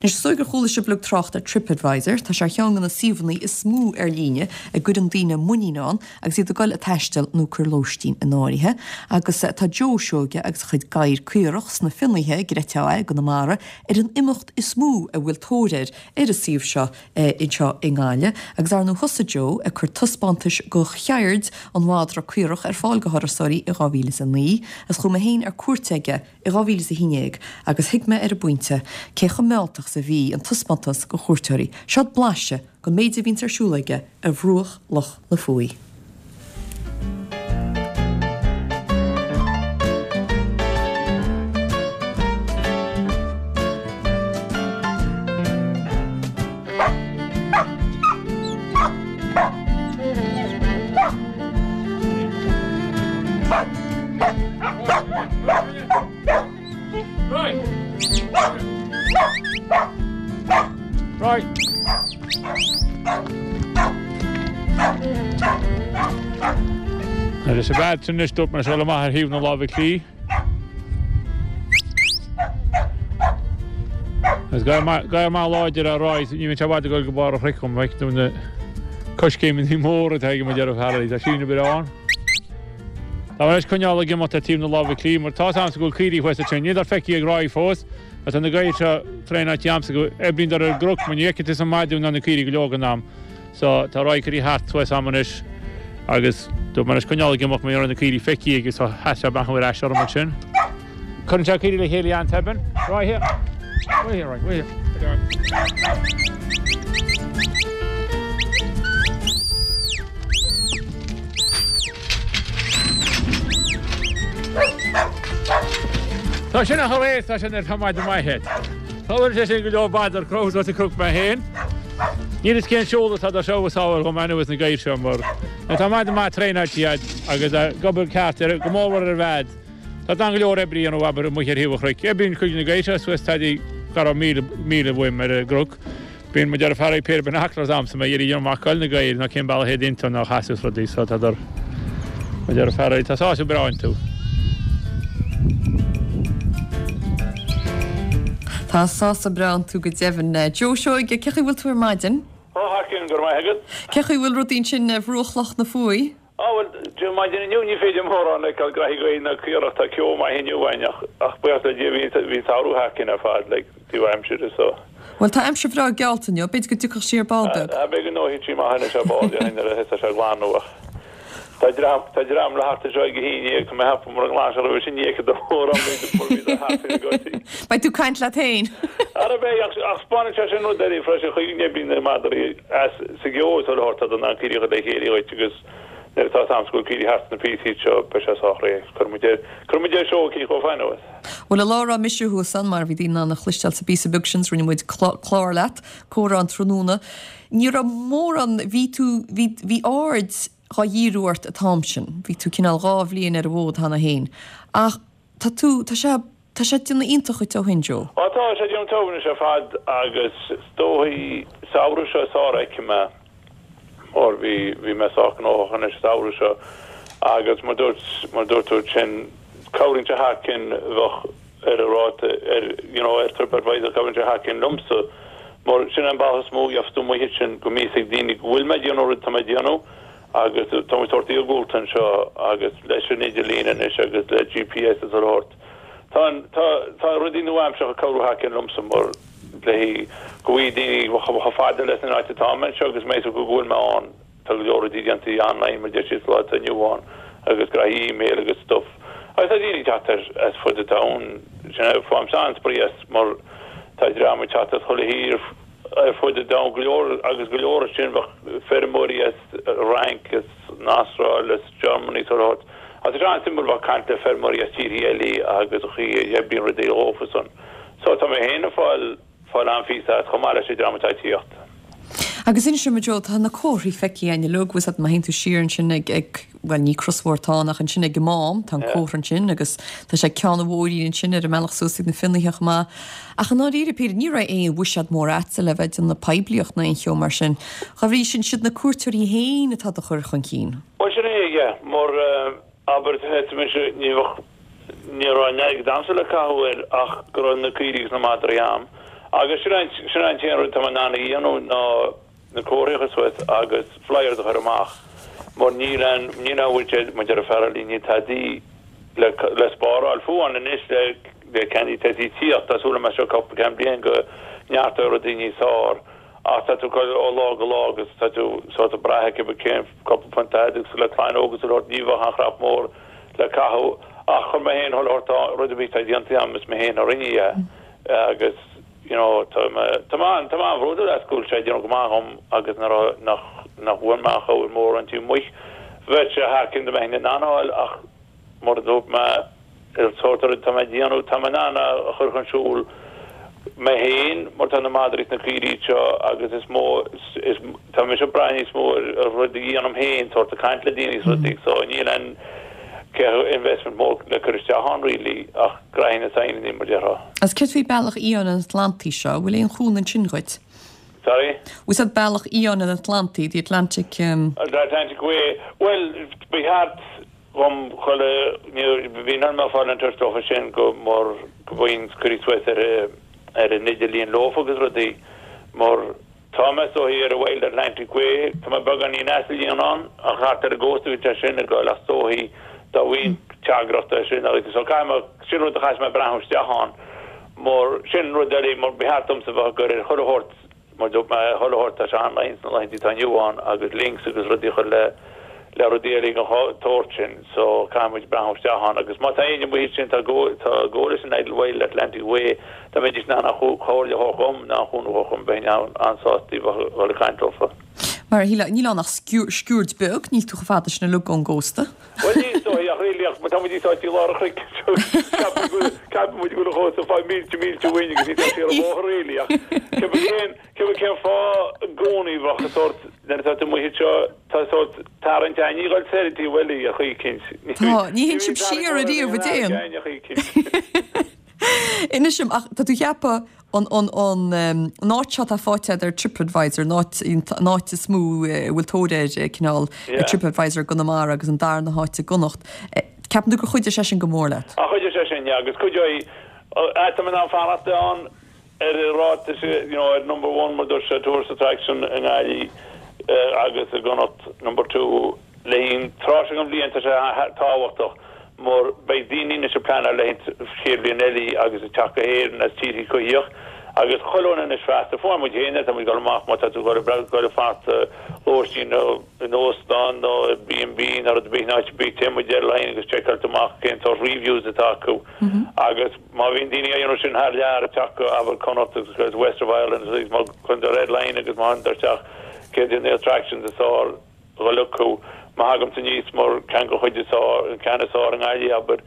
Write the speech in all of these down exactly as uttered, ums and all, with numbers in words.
Anois is dóigh gur chuala sibh uilig trácht ar TripAdvisor, tá sé ar cheann de na suíomhanna is mó ar líne a gcuireann daoine muinín ann agus iad ag dul ag taisteal nó ag cur lóistín in áirithe. Agus tá Joe Seoige agus a chuid gadhar caorach sna Fionnaithe, gcreidfeá é, i gConamara, ar an imeacht is mó a bhfuil tóir air ar an suíomh seo anseo i nGaillimh. Agus ar ndóigh thosaigh Joe ag cur taispeántais de cheird an mhadra caorach ar fáil do thurasóirí i dhá mhíle is a naoi, agus chuaigh mé féin ar cuairt aige i dhá mhíle is a haon déag agus thuig mé ar an bpointe cé chomh mealltach is a bhí an taispeántas do chuairteoirí. Seod blaiseadh den méid a bhíonns ar siúl aige ar bhruach Loch na Fuaí. Leis an bhfead sin anois dúirt mé seo amach ar thaobh na láimhe clí. Is gadhar maith láidir é Roy, ní bhíonn sé i bhfad ag dul go barr an chnoic dhom, feic tú na coiscéimeanna móra atá aige mo dheartháir Harry, tá síneadh breá ann. Tá mé anois coinneáil ag imeacht ar taobh na láimhe clí mar tá 's a'msa go bhfuil caoirigh thuas ansin. Níl dar feicthe ag Roy fós ach tá na gadhair seo traenáilte a'msa go oibríonn dar ar an gcnoc mar ní fheicfidh tusa an madadh ná na caoirigh go leor den am. So tá Roy curtha thart thuas a'm anois agus dúirt mé anois coinneáil ag imeacht mar ní raibh na caoirigh feicthe aige so sheas sé amach ar ais orm ansin. Cuireann sé caoirigh le chéile an-tobann. Roy here. Wait here, Roy, wait here. Tá sin a chomh tá sin ar tá maith maith het. Tá sé sin go leor b'fhéidir crós a cruc mé féin. Níl fhios cén seoladh atá dá seo is ábhar chomh maith anuas na gadhair seo mar tá maith maith traenáilte iad agus ag obair ceart ar go mór ar bhead. Tá dan go leor oibre a dhéanamh abair amuigh ar thaobh an chnoic. Oibríonn cuid de na gadhair seo suas tadí gar míle míle uaim ar an gcnoc. Bíonn mo dheartháir ag péire binoculars a'msa mé iarraidh amach goil na gadhair ná cén bealach iad iontu ná chasadh is rudaí so tá mo dheartháir tá sásamh breá iontu. Tá sásamh breá iontu go deimhin. Joe Seoige, cé chaoi bhfuil tú ar maidin? Ó, thar cionn, go raibh maith agat. Cé chaoi bhfuil rudaí ansin ar bhruach Loch na Fuaí? Á, bhuel, Dé maidin inniu ní féidir mórán a fheiceáil graithí gaoithe ná caorach, tá ceo maith inniu againn ach, ach buíochas le Dia bhí, bhí an samhradh thar cionn ar fad, like, taobh aimsire so. Bhuel, tá aimsir bhreá geallta inniu, b'fhéidir go dtiocfadh sí ar ball beag. Á, beidh go ngnóthaíonn sí maith anois ar ball, déarfainn, nuair a thosaigh sé ag glanadh ach tá dream, tá dream le theacht anseo ag a haon déag, tá mé ag ceapadh mura nglan sé roimhe sin ní fheicfidh tú mórán mar bhí do theacht ar an gcoití. Beidh tú ag caint leat féin. Ara beidh, ach, ach spáineann sé sin rud eile freisin, chaoi go n-oibríonn na madraí as sa gceo is chuile shórt, tá an caoirigh le chéile dhuit agus nuair atá am go bhfuil caoirigh thart sna píosaí seo beidh sé sách réidh. Cuirfidh muid ar, cuirfidh muid ar seó eicínt chomh fada anuas. Bhuel, an lá a raibh mise thuas ann, mar a bhí daoine in ann a chloisteáil sa bpíosa beag sin, 's rinne muid clár leat, comhrá an tráthnóna, ní raibh mórán, bhí tú, bhí, bhí aird dhá dhíriú ort an t-am sin, bhí tú cineál dhá bhliain ar an bhfód cheana féin, ach tá tú, tá sé, tá sé ag déanamh iontach dhuit ó shin, Joe. Á tá sé ag déanamh togha anois ar fad agus is dóichí samhradh seo is fearr a fheicfidh mé mar bhí, bhí mé sách gnóthach anois an samhradh seo agus mar dúirt, mar dúirt tú ansin cabhraíonn sé thar cionn bheadh ar an ráta ar, you know, ar TripAdvisor cabhraíonn sé thar cionn liomsa mar sin an bealach is mó a gheobhas tú amuigh ansin go mbíos ag daoine go bhfuil mé ag déanamh rud atá mé ag déanamh agus tá muid sórt iargúlta anseo agus leis an idirlíon anois agus le GPS is a shórt. Tá an, tá, tá rudaí nua-aimseartha ag cabhrú thar cionn liomsa mar le go bhfaighidh daoine chomh fada leis an áit atá mé anseo agus mé go bhfuil mé ann, tá go leor rudaí déanta online mar deir siad sa lá atá inniu ann agus graithí email agus stuff. Agus tá daoine ag teacht as, as fud an domhain, sin é, faighimse an-spraoi as mar tá dream ag teacht as chuile thír, ar fud an domhain, go leor agus go leor ansin bheadh feirmeoirí as Fhrainc, as an Astráil, as Germany is chuile shórt. Agus tá sé an-suimiúil bheith ag caint le feirmeoirí as tíorthaí eile agus an chaoi a oibríonn rudaí dhófa san. So tá mé féin ag fáil fáil an-phíosa as chomh maith leis an dream atá ag tíocht. Agus inis dom a Joe, tá na comharthaí feicthe againn uilig, bhfuil 's agat má théann tú siar ansin ag, ag, bhuel ní crosbhóthar atá ann ach ansin ag an Mám, tá an comhartha ansin agus tá sé ag ceann an bhóithrín ansin ar an mbealach suas ag na Fionnaithe chomh maith. Ach i ndáiríre píre, ní raibh aon bhuiséad mór a'dsa le bheith ag déanamh poiblíocht ná aon cheo mar sin. Dá bhrí sin, siad na cuairteoirí féin atá do chur chun cinn. Bhuel sin é, yeah, mar abair, mise, ní bheadh, ní raibh aon airgead a'msa le caitheamh air ach go raibh na caoirigh agus na madraí a'm Agus sin an sin an t-aon rud tá mé in ann a dhéanamh ná na comharthaí a chur suas agus flyers a chur amach mar níl an níl an budget mar deir Farrelly níl tada le le spáráil fiú amháin anois le le Candy Tessie tíocht tá súil agam seo cúpla ceann bliain go neartóidh rudaí níos fearr ach tá tú ó lá go lá agus tá tú sort of brath cibé cén cúpla punt agus le clann óg agus rud ní bheadh an chrap mór le caitheamh ach chun mé féin chuile shórt rud a bhí tá déanta agam is mé féin a rinne é agus you know tá mé tá mé tá mé an-bhródúil as go bhfuil sé ag déanamh go maith dhom agus nach nach nach bhfuil mé chomh mór an tí amuigh. Bheadh sé thar cionn dá mbeinn in ann a fháil ach mar a dúirt mé ar sórt rud tá mé ag déanamh tá mé in ann a chur chun siúil mé féin mar tá na madraí is na caoirigh seo agus is mó is tá mise ag brath níos mó ar rud a dhéanaim féin sórt ag caint le daoine is rudaí so níl aon investment mór le cur isteach ann really ach graithe na saighneanna mar déarfá. Agus céard faoi Bealach Fhiáin an Atlantaigh seo, bhfuil aon chúnamh ansin dhuit? Sorry? Was that Bealach Fhiáin an Atlantaigh, the Atlantic um... The Atlantic Way. Well, ba cheart dhom chuile bhí an mé fáil an tuairisc sin go mar go bhfuin cuirí suas ar ar an idirlíon leofa agus rudaí mar tá mé so ar an Wild Atlantic Way tá mé beagáinín as líon ann ach thart ar an gcósta bhí sé sin ag goil ach is dóichí dá bhfuil teagaireacht sin agus so caithfidh mé sin rud a chaithfidh mé breathnú isteach ann mar sin rud eile mar ba cheart domsa bheith ag cur ar chuile shórt mar dúirt mé chuile shórt tá sé online sna laethanta atá inniu ann agus links agus rudaí chur le le rudaí eile den tsórt sin so caithfidh muid breathnú isteach ann agus má tá éinne amuigh sin tá go tá go leis an Idle Wild Atlantic Way tá mé in ann an chomhairle a thabhairt dhom ná an chúnamh a thabhairt dhom bheinn an-sásta a dhul ag caint leofa. Mar níl ann ach sciuird beag, níl tú chomh fada sin uilig ón gcósta. Well ní so ach really ach tá muid sáite i lár an chnoic ceapann muid go bhfuil an chósta five mílte mílte uainn agus ní tá sé ar an bhóthar really ach cibé cén cibé cén fáth i gcónaí bheadh sórt nuair atá tú amuigh anseo tá sórt tarraingt ann ní dhul soir dtí bhfuil a chaoi eicínt. Tá, ní théann sibh siar ariamh a dtéann. a chaoi eicínt. Inis dom ach tá tú ag ceapadh an an an an áit seo atá faighte ar TripAdvisor an áit an áit is mó a bhfuil tóir air cineál Yeah. TripAdvisor Conamara agus an darna háit i gConnacht. Ceapann tú gur chuidigh sé sin go mór leat. A chuidigh sé sin agus cuideoidh tá mé in fanacht ann ar an ráta you know, ar number one mar dúirt sé tourist attraction i nGaillimh agus i gConnacht number two le haghaidh tráth seo den bhliain tá sé tábhachtach mar beidh daoine anois ag pleanáil le chéad bhliain eile agus ag teacht go hÉirinn as tíortha coimhthíoch agus chuile dhuine anois feasta fuair muid féin tá muid ag dul amach má tá tú ag dul ag fanacht lóistín nó in óstán nó B and B nó rud ar bith in áit ar bith téann muid ar line agus seiceáil amach cén sórt reviews atá acu agus má bhíonn daoine á dhéanamh sin thar lear ag teacht go abair Connacht agus West of Ireland agus má chun ar line agus má théann isteach céard iad na attractions is fearr dhul acu má thagaim aníos mar ceann den chuid is fearr an ceann is fearr i nGaillimh abair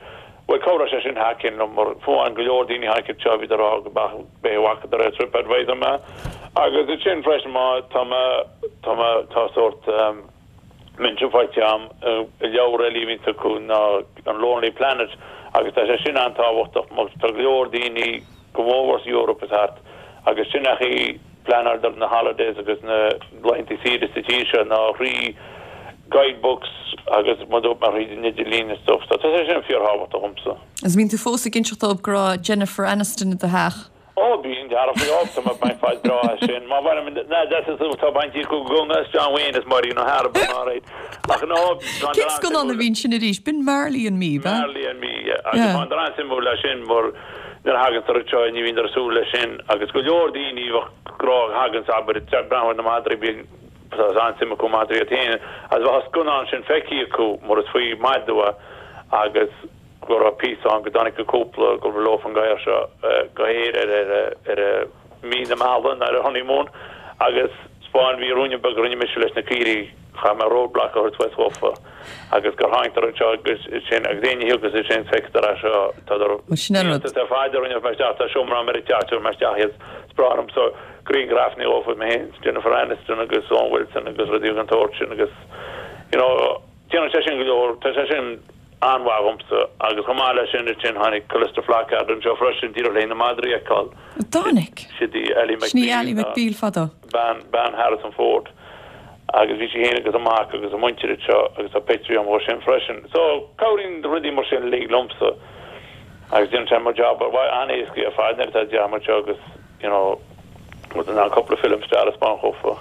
Well cabhróidh sé sin thar cionn mar fuair go leor daoine tháinig seo bhí rá go bé bhacadar ar TripAdvisor mé agus é sin freisin má tá mé tá mé tá sórt um, mention faighte agam i leabhar eile a bhíonn acu ná an Lonely Planet agus tá sé sin an-tábhachtach mar tá go leor daoine go mór sa Eoraip is thart agus sin a chaoi pleanáil na holidays agus na laethanta saoire sa tír seo ná thrí guidebooks agus mar mar thríd an idirlíon is stuff. So tá sé sin fíorthábhachtach dhomsa. Is bíonn tú fós ag inseacht dóibh go raibh Jennifer Aniston i do theach. Ó bíonn dearfa tá bain fad brá sin má bhain na tá baintí go gunga John Wayne is Marion O'Hara ach nó Cén scannán a bhíonn sin arís, b'in Marley and Me, ba? Marley and Me agus an dran simú le sin mar nuair a thagann tar seo ní bhíonn ar súil leis sin agus go leor daoine grá hagan sabar breathnú na madraí bí an-suim acu madraí féin as bheith scannán sin feicthe acu mar is faoi madra agus go raibh píosa ann go dtáinig go cúpla go raibh leo an gadhar seo go hÉirinn ar ar ar mí na meala ar a honeymoon agus spáin bhí ruainne beag a rinne mise leis na caoirigh chaith mé roadblock a thabhairt suas dhófa agus gur tháinig anseo agus sin agus éinne agus sin feictear é seo tá sin an rud. Tá fáidir rinne mé isteach tá seomra ar an teach mé isteach iad spráim so grianghrafanna dhófa mé féin Jennifer Aniston agus Owen Wilson agus rudaí den tsórt sin agus you know déanann sé sin go leor tá sé sin an-mhaith dhomsa agus chomh maith leis sin sin tháinig Calista Flockhart anseo freisin díreach le na madraí a fheiceáil. Tháinig. Sin í Ally Sin í Ally McBeal fadó. Bean bean Harrison Ford agus bhí sí féin agus a mac agus a muintir seo agus a pictiúr agam sin freisin. So cabhraíonn rudaí mar sin uilig liomsa agus déanann sé mo job an-éasca ar fad nuair atá dearmad seo agus you know, rud in ann cúpla film stair a spáint dhófa.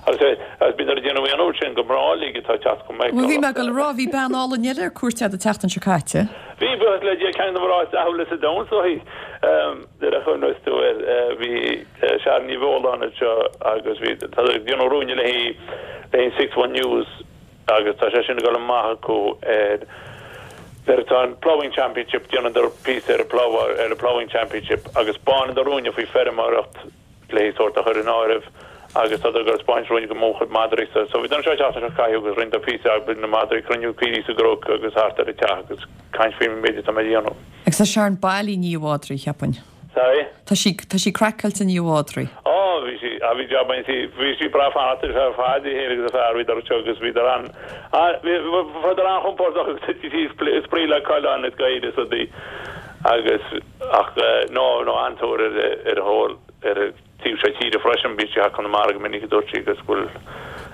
Agus agus bíonn ar déanamh an uair sin go mná uilig atá ag teacht go mbeidh Bhuel bhí mé ag dul a rá, bhí bean álainn eile ar cuairt agat an tseachtain seo caite. Bhí, buíochas le Dia, ceann de na mná is dathúla sa domhan so í. Nuair a chuimhneos tú air, bhí Sharon Ní Bheoláin anseo agus bhí, tá ag déanamh ruainne léi, léi Six One News agus tá sé sin ag dul amach acu ar nuair atá an Ploughing Championship, déanadar píosa ar an plough, ar an Ploughing Championship agus 'spáineadar ruainne faoi feirmeoireacht le sórt a chur in áireamh agus tá ag spáint ruainne go mo chuid madraí sa so bhí anseo an tseachtain seo caite agus rinneadar píosa agus na madraí cruinniú caoirigh sa gcnoc agus thart ar an teach agus caint faoin méid atá mé a dhéanamh. Agus tá Sharon bailí i ndiaidh a mhadraí, cheapfainn. Sorry? Tá sí, tá sí craiceáilte i ndiaidh a mhadraí. Ó, bhí sí, ah, bhí jab ann, bhí sí breá fanacht ar fad í féin agus a fear, bhíodar anseo agus bhíodar an, ah, bhí, bhíodar an-chompordach agus thit sí spraoi le coileáin is gaoth is rudaí agus, ach, no, no, an-tóir ar, ar a thól, ar an taobh seo tíre freisin, bíonn sí thar Conamara go minic a dúirt sí agus bhfuil,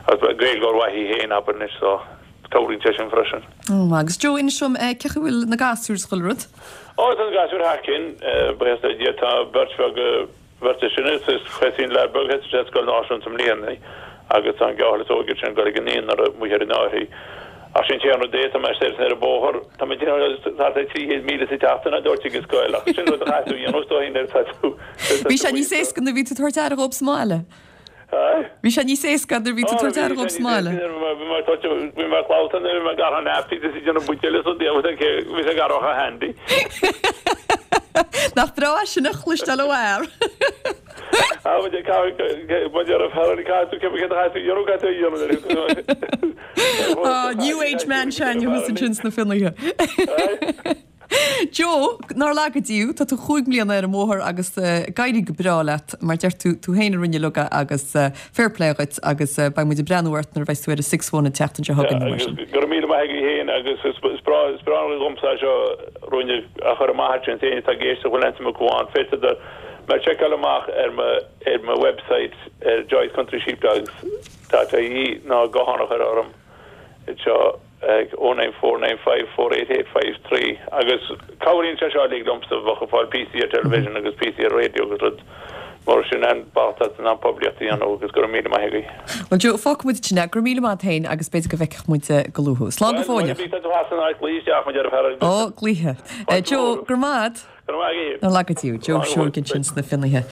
agus Gaeilgeoir mhaith í féin, abair anois, so cabhraíonn sé sin freisin. Ó, agus Joe, inis dom, cé chaoi bhfuil na gasúir is chuile rud? Ó, tá na gasúir thar cionn, buíochas le Dia, tá beirt bheag, bheirt is sine, is thosaigh an leaid beag, thosaigh sé ar scoil náisiúnta i mbliana agus tá an gearrthóir is óige sin ag dul ag an naíonra amuigh ar an Fhairche. Ach sin an t-aon rud é, tá mé saor ar an bóthar, tá mé ag déanamh thart ar trí chéad míle sa tseachtain a dúirt ag an scoil, ach sin rud a chaithfidh tú a dhéanamh is dóigh nuair atá tú Bhí sé níos éasca nuair a bhí tú ag tabhairt aire dhób sa mbaile. Bhí sé níos éasca nuair a bhí tú ag tabhairt aire dhób sa mbaile. Bhí mé bhí mé clabhta nuair a bhí mé gar an app, bhí sé déanamh buidéal is rudaí agus bhí sé gar ó handy. Nach breá é sin a chloisteáil ó fhear. Ah, muid ag muid ar fear caithfidh tú cé cé tú dhéanamh caithfidh tú a dhéanamh. Ah, New Age man sin thuas ansin sna Finnéithe. Joe, nár laga Dia thú, tá tú chúig mbliana ar an mbóthar agus go n-éirí go breá leat mar deir tú tú féin a rinne uilig agus fair play dhuit agus beidh muid ag breathnú ort nuair a bheas tú ar an Six One an tseachtain seo chugainn mar sin. Go raibh míle maith agat féin agus is breá is breá dhomsa seo ruainne a chur amach sin féin atá ag éisteacht bhfuil aon acu ann féadfaidh mé seiceáil amach ar mo ar mo website ar Joyce Country Sheepdogs dot ie ná guthán a chur orm seo ag oh nine four nine five four eight eight five three agus cabhraíonn sé seo uilig liomsa bheadh ag fáil píosaí ar television agus píosaí ar radio agus rud mar sin an bealach an poiblíocht a dhéanamh agus go raibh míle maith agaibh. Well Joe, fágfaidh muid sin é, go raibh míle maith féin agus b'fhéidir go bhfeicfidh muid go luath. Slán go fóill. Bhí tú as an áit glaoigh isteach muid ar fear Ó, glaoithe. Joe, go raibh maith. Go raibh maith agaibh. Nár laga Dia thú, Joe Seoige ansin sna Finnéithe.